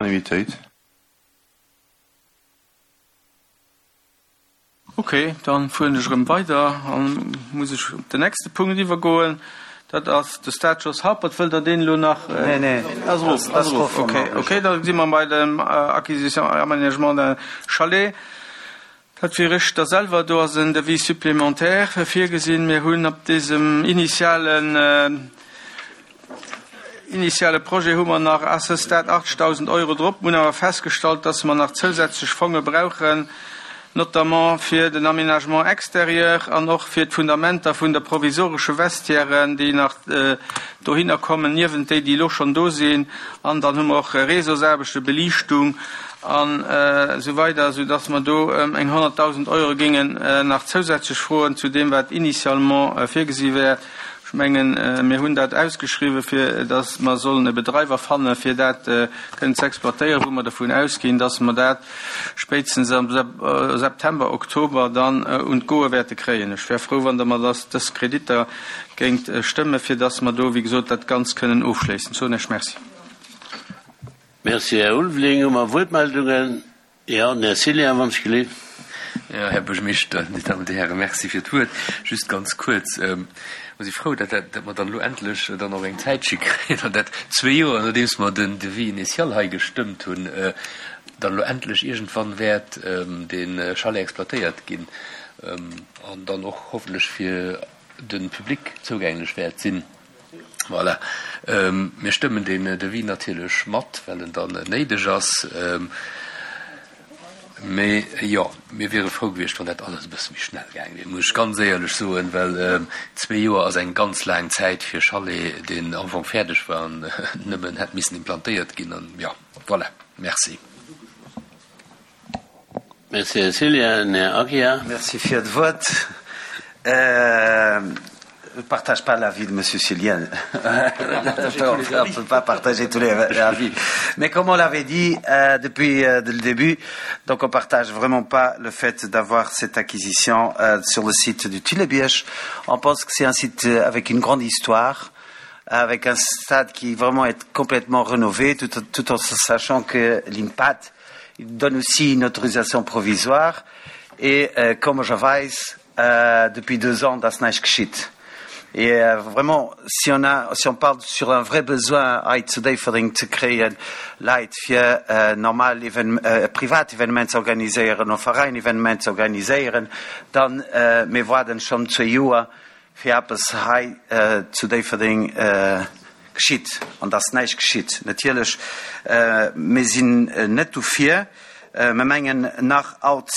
Unanimitéit. Ok, dann fueren ech erëm weider an muss ech op den nächste Punkt iwwergoen. Dat ass de Stade Jos Haupert. Wëllt Der deen elo nach? Nee, nee, ass erof, ass erof. Ok, ok, da si mer bei dem Acquisition et aménagement d'un chalet. Dat wier ech da selwer. Do ass en Devis supplémentaire virgesinn. Mir hunn op désem initialen, initiale Projet hu mer nach à ce stade 80.000 Euro drop. Mir hunn awer festgestallt, dass mer nach zousätzlech Fonge brauchen, notamment fir den Aménagement extérieur an och fir d'Fundamenter vun der provisoresche Vestiairen, déi nach dohinner kommen, niewent déi, déi elo schonn do sinn. An dann hu mer och Réseausaarbechten, Beliichtung an esou weider, soudass mer do ëm eng 100.000 Euro géingen nach zousätzlech froen zu deem, wat initialement virgesi wär. Ech mengen, mir hunn dat ausgeschriwwen, fir dass mer sollen e Bedreiwer fannen, fir dat kënnen ze exploitéieren, wou mer dervun ausginn, dass mer dat spéitstens am September, Oktober dann un d'Goe wäerte kréien. Ech wär frou, wann Der mer dës Kreditter géingt stëmmen, fir dass mer do, wéi gesot, dat Ganzt kënnen ofschléissen. Soen Iech Merci. Merci, Här Ulveling. Hu mer Wuertmeldungen? Jo, den Här Cillien, wann ech gelift. Jo, Här Buergermeeschter, Dir Dammen, Dir Hären, Merci fir d'Wuert. Just ganz kuerz, Mer si frou, datt dat, datt mer dann elo endlech dann och eng Zäitche kréien, an dat zwee Joer nodeems mer den Devis initial hei gestëmmt hunn, dann elo endlech iergendwann wäert dee Chalet exploitéiert ginn an dann och hoffentlech fir de Public zougänglech wäert sinn. Voilà. Mir stëmmen deen Devis natierlech mat, well en dann néideg ass. Mee jo, mir wiere frou gewiescht, wann dat alles e bësse méi schnell gaange wier, muss ech ganz éierlech soen, well zwee Joer ass eng ganz laang Zäit fir e Chalet, deen am Fong fäerdeg war an nëmmen hätt missen implantéiert ginn. An jo, voilà. Merci. Merci, Här Cillien. Här Aguiar. Merci fir d'Wuert. Je ne partage pas l'avis de Monsieur Cillien. On ne peut pas partager tous les avis. Mais comme on l'avait dit euh, depuis euh, le début, donc on partage vraiment pas le fait d'avoir cette acquisition euh, sur le site du Tilebièche. On pense que c'est un site euh, avec une grande histoire avec un stade qui vraiment est complètement rénové, tout, tout en sachant que l'IMPAT donne aussi une autorisation provisoire et euh, comme je weiß euh, depuis deux ans das näischt geschitt. Et euh, vraiment si on a si on parle sur un vrai besoin hei zu Déifferdeng ze kréien Leit fir euh, normal even, euh, privat Evenements ze organiséieren oder Veräin Evenements ze organiséieren, dann euh, mir waarden schonn zwee Joer fir eppes hei zu Déifferdeng geschitt an dass näischt geschitt. Natierlech, mir sinn net dofir. Mir mengen nach alt,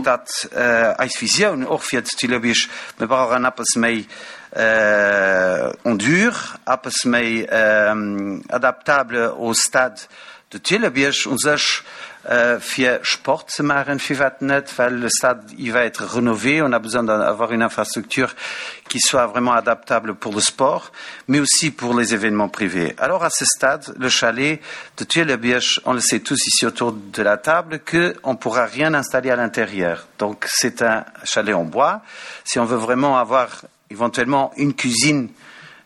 datt eis Visioun och fir d'Thillerbierg, mir brauchen eppes méi en dur, eppes méi adaptable au stade De Thillerbierg u sech fir Sport ze maachen, firwat net, well le stade il va être renové, on a besoin d'avoir une infrastructure qui soit vraiment adaptable pour le sport, mais aussi pour les événements privés. Alors à ce stade, le chalet de Thillerbierg, on le sait tous ici autour de la table, qu'on ne pourra rien installer à l'intérieur. Donc c'est un chalet en bois. Si on veut vraiment avoir éventuellement une cuisine,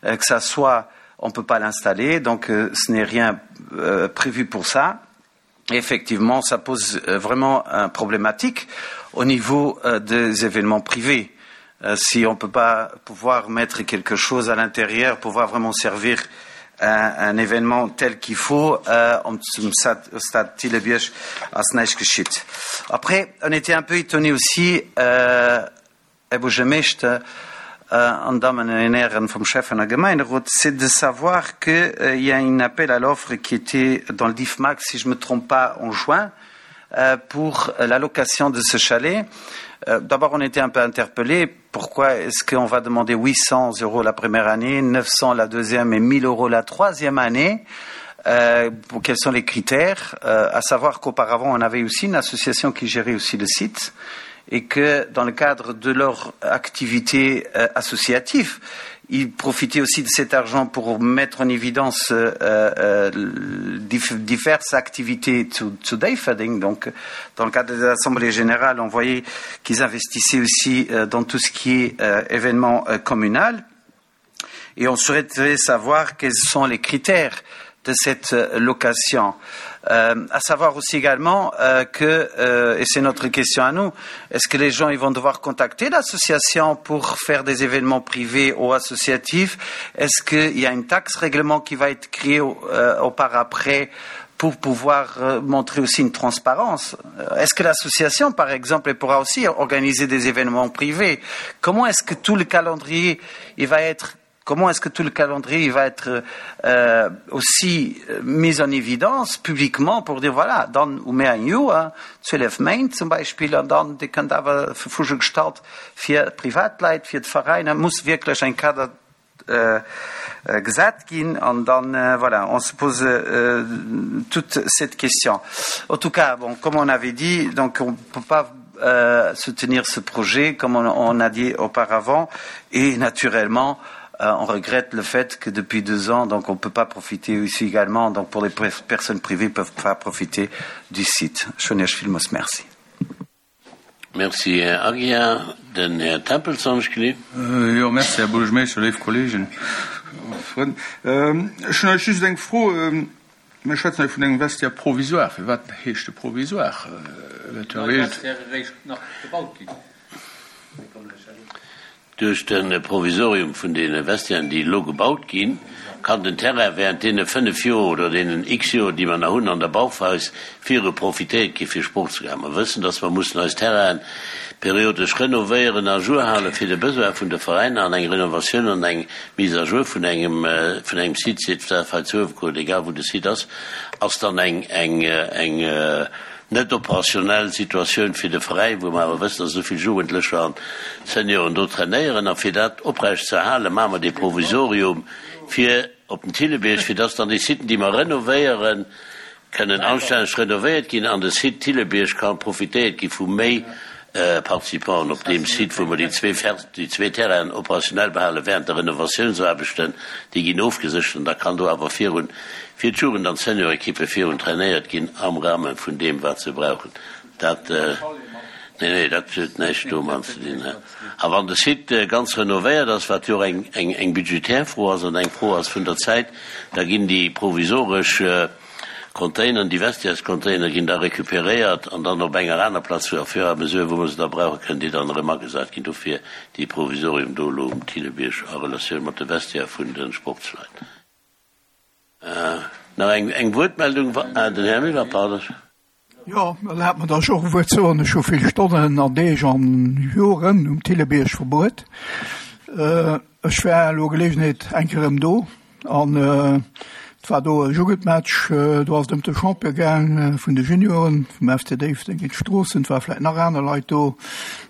euh, que ça soit on ne peut pas l'installer, donc euh, ce n'est rien euh, prévu pour ça. Effectivement, ça pose euh, vraiment un problématique au niveau euh, des événements privés. Euh, si on ne peut pas pouvoir mettre quelque chose à l'intérieur, pouvoir vraiment servir un, un événement tel qu'il faut, euh, au stade Tilebierg ass näischt geschitt. Après, on était un peu étonné aussi, euh, Här Buergermeeschter an Dammen an Hären vum Schäffen a Gemeinderot, c'est de savoir qu'il y a un appel à l'offre qui était dans le DIFMAC, si je ne me trompe pas, en juin, pour la location de ce chalet. D'abord, on était un peu interpellés. Pourquoi est-ce qu'on va demander 800 euros la première année, 900 la deuxième et 1000 euros la troisième année euh, Quels sont les critères euh, À savoir qu'auparavant, on avait aussi une association qui gérait aussi le site et que dans le cadre de leur activité euh, associative, ils profitaient aussi de cet argent pour mettre en évidence euh, euh, diverses activités to, to Dayfading. Donc, dans le cadre de l'Assemblée générale, on voyait qu'ils investissaient aussi euh, dans tout ce qui est euh, événement euh, communal. Et on souhaiterait savoir quels sont les critères de cette euh, location. Euh, à savoir aussi également euh, que, euh, et c'est notre question à nous, est-ce que les gens ils vont devoir contacter l'association pour faire des événements privés ou associatifs Est-ce qu'il y a une taxe règlement qui va être créée au, euh, au par après pour pouvoir euh, montrer aussi une transparence euh, Est-ce que l'association, par exemple, pourra aussi organiser des événements privés Comment est-ce que tout le calendrier il va être Comment est-ce que tout le calendrier va être euh, aussi euh, mis en évidence publiquement pour dire voilà, dann hu mir eng Joer, 12 Méint zum Beispill, an dann Dir kënnt awer Verfügung gestallt fir Privatleit, fir d'Veräiner, muss wierklech eng Kader äh, äh, gesat ginn an dann äh, voilà, on se pose euh, toute cette question. En tout cas, bon, comme on avait dit, donc on peut pas euh, soutenir ce projet comme on, on a dit auparavant et naturellement euh, on regrette le fait que depuis deux ans donc on ne peut pas profiter ici également donc pour les personnes privées peuvent pas profiter du site Filmos merci. Merci Här Aguiar. Den Här Tempels Anschkli. Äh, jo, merci Här Buergermeeschter, léif Kollegen a Frënn. Ähm, ech hunn just eng Fro. Ähm, Mir schwätzen hei vun engem Vestiaire provisoire. Firwat heescht e provisoire? Duerch de Provisorium vun deene Vestiairen, déi elo gebaut ginn, kann den Terrain während deene 5 Joer oder deenen x Joer, déi mer nach hunn an der Bauphase, viru profitéiert gi fir Sport ze maachen. Mer wëssen, dass mer mussen eis Terrainen periodesch renovéieren, à jour halen, fir de Besoin vun de Veräiner an eng Renovatioun an eng Mise à jour vun engem, vun engem Site, sief dat hei zu Uewerkuer oder egal wou de Site ass, ass dann eng, eng, eng net operationnell Situatioun fir de Veräin, wou mer awer wëssen, dass esou vill Jugendlecher an Senioren do trainéieren. A fir dat oprecht ze erhalen, maache mer dee Provisorium fir op den Thillebierg, fir dass dann déi Siten, déi mer renovéieren, kënnen anstänneg renovéiert ginn an de Site Thillebierg ka profitéiert gi vu méi Participanten op deem Site, wou mer déi zwee déi zwee Terrainen operationell behale während de Renovatiounsaarbechten. Déi ginn ofgeséchert an da kann do awer virun fir d'Jugend an d'Seniorekippe virun trainéiert ginn am Rahme vun deem, wat se brauchen. Dat, nee, nee, dat huet näischt domat ze dinn. A wann de Site ganz renovéiert ass, wat jo och eng eng budgetär Fro ass an eng Fro ass vun der Zäit, da ginn déi provisoresch Containeren, déi Vestiairescontainere ginn da recuperéiert an dann op enger aner Plaz, au fur et à mesure, wou mer se da brauchen, kënnen déi dann erëm agesat ginn. Dofir dee Provisorium do elo um Thillebierg a Relatioun mat de Vestiaire vun de Sportsleit. Nach eng Wuertmeldung? Ah, den Här Müller, pardon. Jo, erlaabt mer, datt ech och e Wuert soen. Ech hu vill Stonnen an Deeg an Joren um Thillebierg verbruet. Ech war elo Geleegenheet eng Kéier erëm do an et war do e Jugendmatch. Do ass et ëm de Champion gaang vun de Junioren vum FC Déifferdeng géint Stroossen. Et ware vläicht nach aner Leit do.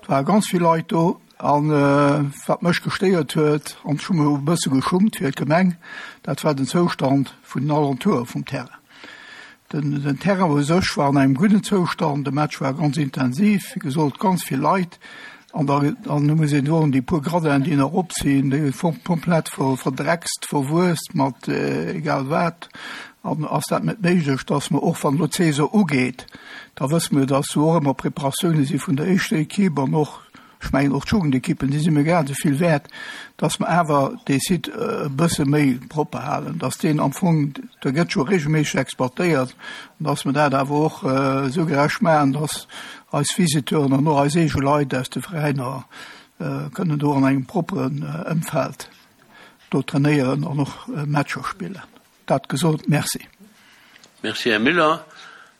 Et ware ganz vill Leit do. An wat mech gestéiert huet, an ech hu mech e bësse geschummt fir d'Gemeng, dat war den Zoustand vun den Alentoure vum Terrain. Den, den Terrain u sech war an engem gudden Zoustand, de Match war ganz intensiv, wéi gesot, ganz vill Leit. An da, an du muss een soen, déi puer Gradinen, déi nach op sinn, déi komplett ver, verdreckst, verwuesst mat egal wat. An ass dat net méiglech, dass mer, och wann elo d'Saison ugeet, da wësse mer, dass do och ëmmer Preparatioune si vun der éischter Equipe an och, ech mengen och d'Jugendekippen, déi si mir grad esou vill wäert, dass mer awer dee Site e bësse méi propper halen, dass deen am Fong, der gëtt jo regelméisseg exploitéiert, an dass mer dat awer och esou gerecht maachen, dass eis Visiteuren an och eis eege Leit aus de Veräiner kënnen do an engem propperen Ëmfeld do trainéieren an och Matcher spillen. Dat gesot, merci. Merci, Här Müller.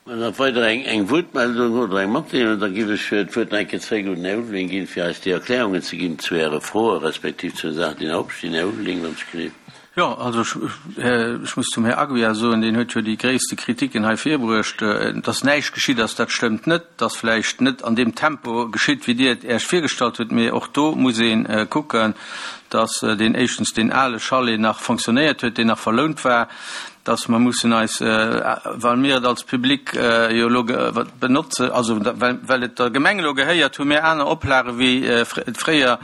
Wann nach weider eng Wuertmeldung oder eng Matdeelung, da géif ech d'Wuert nach eng Kéier zréck un den Här Ulveling ginn, fir eis déi Erklärungen ze ginn zu Äre Froe respektiv zu den Saachen, déi nach opstinn. Här Ulveling, wann ech gleef. Jo, also ech muss zum Här Aguiar soen, deen huet jo déi gréisste Kritiken hei virbruecht. Dass näischt geschitt ass, dat stëmmt net. Et ass vläicht net an deem Tempo geschitt, wéi Dir et Äech virgestallt hutt, mee och do muss ee kucken, dass deen éischtens deen ale Chalet nach fonctionnéiert huet, deen nach verlount war, dass mer mussen eis, well mir et als Public jo elo benotzen, also well et der Gemeng elo gehéiert, hu mir aner Oplage wéi fréier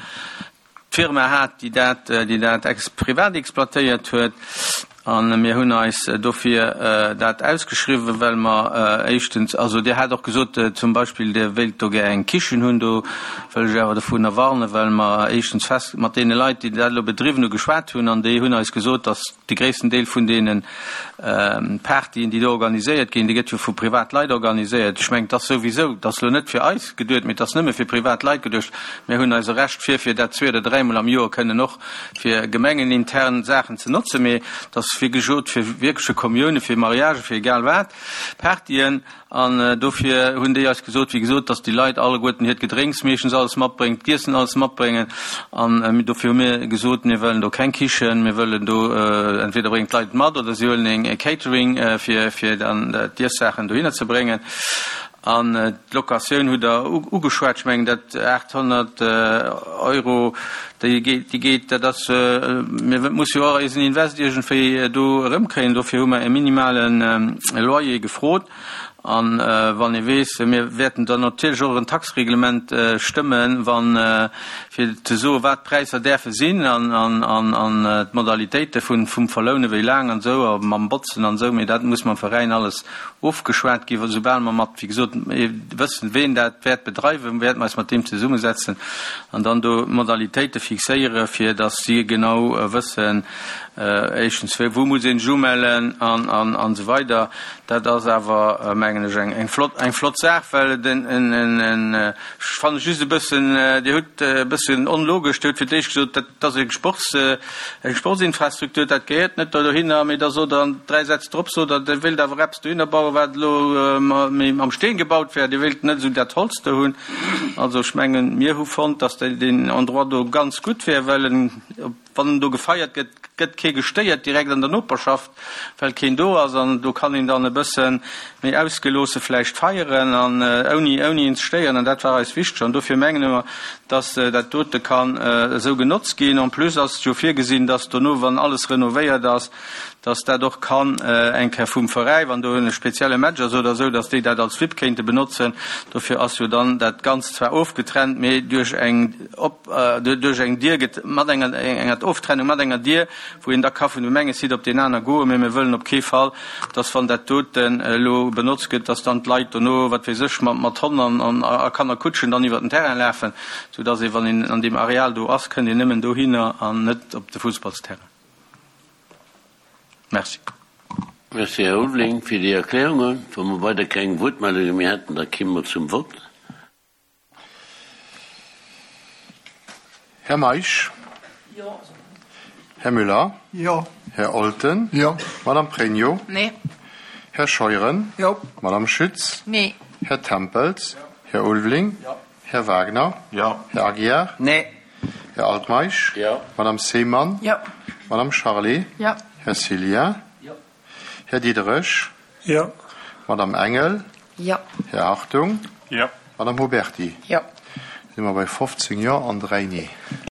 d'Firma hat, déi dat, déi dat ex privat exploitéiert huet. A mir hunn eis dofir dat ausgeschriwwen, well mer éischtens, also Dir hat och gesot zum Beispill, Dir wéilt do gär eng Kichen hunn, do wëll ech awer dovunner warnen, well mer éischtens fest mat deene Leit, déi dat elo bedriwwen hu geschwat hunn, an déi hunn eis gesot, datt de gréissten Deel vun deene Partyen, déi do organiséiert ginn, déi gëtt jo vu privat Leit organiséiert. Ech mengen, et ass souwisou, et ass elo net fir eis geduet, mee et ass nëmme fir privat Leit geduecht. Mir hunn eise Recht fir, fir dat zwee oder dräimol am Joer kënnen och fir gemengenintern Saachen ze notzen, mee et ass wéi gesot fir wierkleche Kommiounen, fir Mariagen, fir egal wat, Partyen. An dofir hunn déi eis gesot, wéi gesot, dass déi Leit alleguerten hiert Gedrénks meeschtens alles matbréngen, d'Iessen alles matbréngen. An dofir hu mir gesot, mir wëllen do keng Kichen, mir wëllen do, entweder bréngen d'Leit et mat oder si huelen e Catering, fir fir dann d'Iessaachen dohinner ze bréngen. An d'Locatioun hutt Der ugeschwat. Ech mengen, dat 800 Euro, déi geet, dat ass, mir musse jo och eisen Invest iergendwéi do erëmkréien. Dofir hu mer e minimale Loyer gefrot. A wann ee weess, mir wäerten dann natierlech och en Taxereglement stëmmen, wann, fir ze soen, wat d'Präisser däerfe sinn an d'Modalitéite vum Verlounen, wéi laang an esou, a mam Botzen an esou. Mee dat muss mam Veräin alles ofgeschwat ginn, soubal mer mat, wéi gesot, wëssen, ween dat wäert bedreiwen, wäerte mer eis mat deem zesummesetzen an dann do d'Modalitéite fixéieren, fir datt si genau wëssen, éischtens, wou muss ee sech umellen an esou weider. Dat ass awer, mengen ech, eng flott, eng flott Saach, well et en, en, ech fanne just e bëssen, Dir hutt e bëssen onlogesch, Dir hutt fir d'éischt gesot, dat Et ass eng Sports, eng Sportsinfrastruktur, dat gehéiert net do dohinner, mee da sot Der an 3 Sätz drop, sot Der, Dir wéilt awer eppes dohinner bauen, wat elo méi mam Steen gebaut wär, Dir wéilt net esou dat Holz do hunn. Also ech mengen, mir hu fonnt, dass deen Endroit do ganz gutt wär, well en, wann do gefeiert gëtt, gëtt kee gestéiert direkt an der Noperschaft, well keen do ass an do kann een dann e bësse méi ausgeloosse vläicht feieren an ouni ouni een ze stéieren an dat war eis wichteg an dofir menge mer, dass dat dote kann esou genotzt ginn. En plus ass et jo virgesinn, dass dono, wann alles renovéiert ass, dass dat och kann eng Kéier vum Veräi, wann do e spezielle Match ass oder esou, dass déi dat als VIP kéinte benotzen. Dofir ass jo dann dat Ganzt zwar ofgetrennt, mee duerch eng op duerch eng Dier gëtt mat enger enger Oftrennung mat enger Dier, wou een da ka vun dem enge Site op deen aner goen, mee mir wëllen op kee Fall, dass wann dat doten elo benotzt gëtt, dass dann d'Leit dono, wat weess ech, mat Honn an a Kannerkutschen dann iwwert den Terrain lafen, soudass ee wann een an deem Areal do ass, kënnt een nëmmen dohinner an net op de Fussballsterrain. Merci. Merci, Här Ulveling, fir déi Erklärungen. Wa mer weider keng Wuertmeldunge méi hätten, da kimme mer zum Vott. Här Meisch? Jo. Här Müller? Jo. Här Olten? Jo. Madame Pregno? Nee. Här Scheuren? Jo. Madame Schütz? Nee. Här Tempels? Jo. Här Ulveling? Jo. Här Wagner? Jo. Här Aguiar? Nee. Här Altmeisch? Jo. Madame Seemann? Jo. Madame Charlé? Jo. Här Cillien? Jo. Här Diderich? Jo. Madame Engel? Jo. Här Hartung? Jo. Madame Huberty? Jo. Da si mer bei 15 Jo an 3 Nee.